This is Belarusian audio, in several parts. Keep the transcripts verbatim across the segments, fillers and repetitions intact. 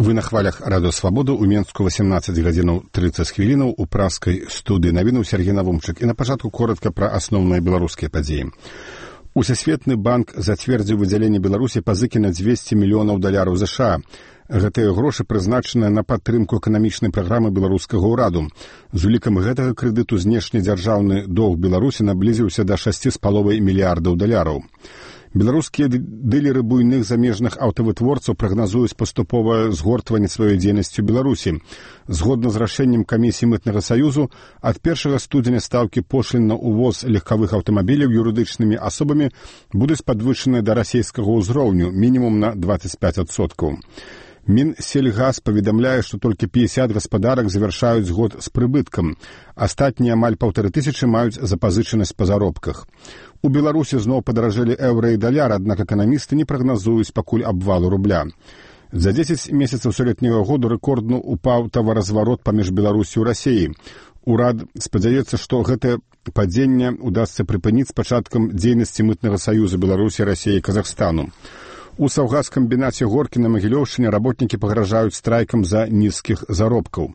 Вы на хвалях Радыё Свабода. У Менску восемнадцаць гадзінаў трыццаць хвілінаў у праскай студыі навіну Сергей Навумчык. І на пачатку коротка пра асноўныя беларускія падзеі. Усесветны банк зацвердзіў выдзяленне Беларусі пазыкі на дзвесце мільёнаў даляраў ЗША. Гэтыя грошы прызначаныя на падтрымку эканамічнай праграмы беларускага ўраду. З улікам гэтага крэдыту знешнедзяржаўны доўг Беларусі наблізіўся да шасці з паловай мільярдаў даляраў. Беларускія дылеры буйных замежных аўтавытворцаў прагназуюць паступовае згортванне сваёй дзейнасці ў Беларусі. Згодна з рашэннем камісіі мытнага саюзу, ад першага студзеня стаўкі пошлін на ўвоз легкавых аўтамабіляў юрыдычнымі асобамі будуць падвышаныя да расейскага ўзроўню мінімум на дваццаць пяць адсоткаў. Мінсельгаз паведамляе, што толькі пятьдесят гаспадарак завяршаюць год з прыбыткам. Астатнія амаль паўтары тысячы маюць запазычанасць па заробках. У Беларусі зноў падаражэлі еўра і даляр, аднак эканамісты не прагназуюць пакуль абвалу рубля. За дзесяць месяцаў сёлетняга году рэкордна упаў таваразварот паміж Беларусі і Расіяй. Урад спадзяецца, што гэтае падзенне удасца прыпыніць з пачаткам дзейнасці мытнага саюза Беларусі, Расіі і Казахстану. У саўгазкамбінаце Горкі на Магілёўшчыне работнікі пагражаюць страйкам за нізкіх заробкаў.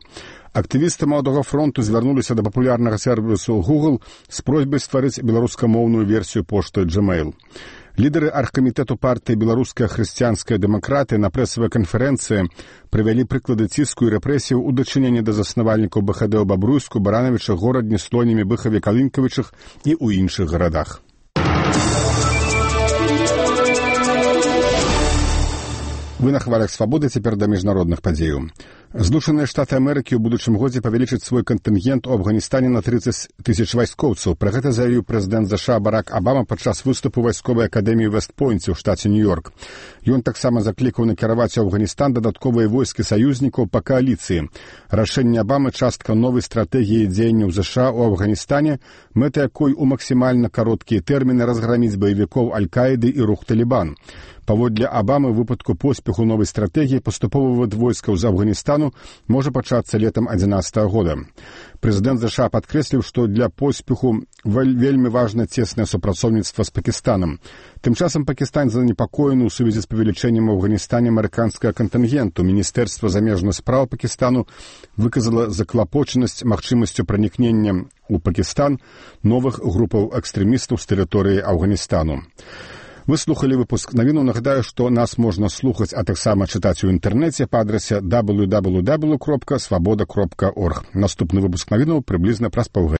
Актывісты Маладога фронту звярнуліся да папулярнага сервісу Google з просьбай стварыць беларускамоўную версію пошты Gmail. Лідары аргкамітэту партыі «Беларуская хрысціянская дэмакратыя» на прэсавай канферэнцыі прывялі прыклады ціску і рэпрэсіяў у дачыненні да заснавальнікаў БХД ў Бабруйску, Баранавічах, Горадні, Слонімі, Быхаве, Калынкавічах і ў іншых гарадах. Вы на хвалях свабоды, цяпер да міжнародных падзеяў. Злучаныя Штаты Амерыкі ў будучым годзе павялічаць свой кантынгент у Афганістане на трыццаць тысяч вайскоўцаў. Пра гэта заявіў прэзідэнт ЗША Барак Абама падчас выступу вайсковай акадэміі Вэст-Пойнце ў штаце Нью-Йорк. Ён таксама заклікаў накіраваць у Афганістан дадатковыя войскі саюзнікаў па кааліцыі. Рашэнне Абамы частка новай стратэгіі дзеянняў ЗША ў Афганістане, мэта якой у максімальна кароткія тэрміны разграміць баевікоў Аль-Каіды і рух Талібан. Паводле Абамы, у выпадку поспеху новай стратэгіі паступовы вывод войскаў з Афганістану можа пачацца летам адзінаццатага года. Прэзідэнт ЗША падкрэсліў, што для поспеху вельмі важна цеснае супрацоўніцтва з Пакістанам. Тым часам Пакістан занепакоены ў сувязі з павелічэннем у Афганістане амерыканскага кантынгенту. Міністэрства замежных спраў Пакістану выказала заклапочанасць магчымасцю пранікнення ў Пакістан новых групаў экстрэмістаў з тэрыторыі Афганістану. Вы слухали выпуск навіну. Нагадаю, што нас можна слухаць, а таксама чытаць у інтэрнэце па адрасе дабл ю дабл ю дабл ю кропка свабода кропка орг. Наступны выпуск навінаў прыблізна праз паўгадзіны.